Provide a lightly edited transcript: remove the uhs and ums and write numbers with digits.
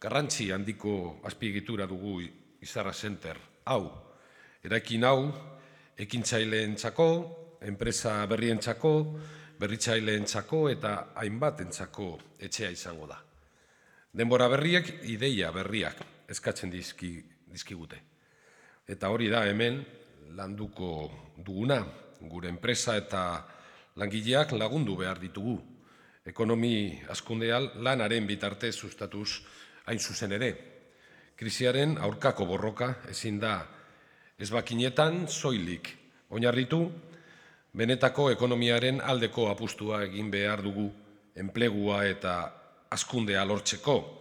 garrantzi handiko azpiegitura dugu Izarra Center. Hau, eraikin hau, ekintzaileentzako, enpresa berrientzako, berritzaileentzako eta hainbatentzako etxea izango da. Denbora berriek, ideia berriak eskatzen dizkigute. Eta hori da hemen landuko duguna, gure enpresa eta langileak lagundu behar ditugu. Ekonomi hazkundean lanaren bitartez sustatuz hain zuzen ere. Krisiaren aurkako borroka ezin da ezbakinetan soilik oinarritu, benetako ekonomiaren aldeko apustua egin behar dugu enplegua eta hazkundea lortzeko.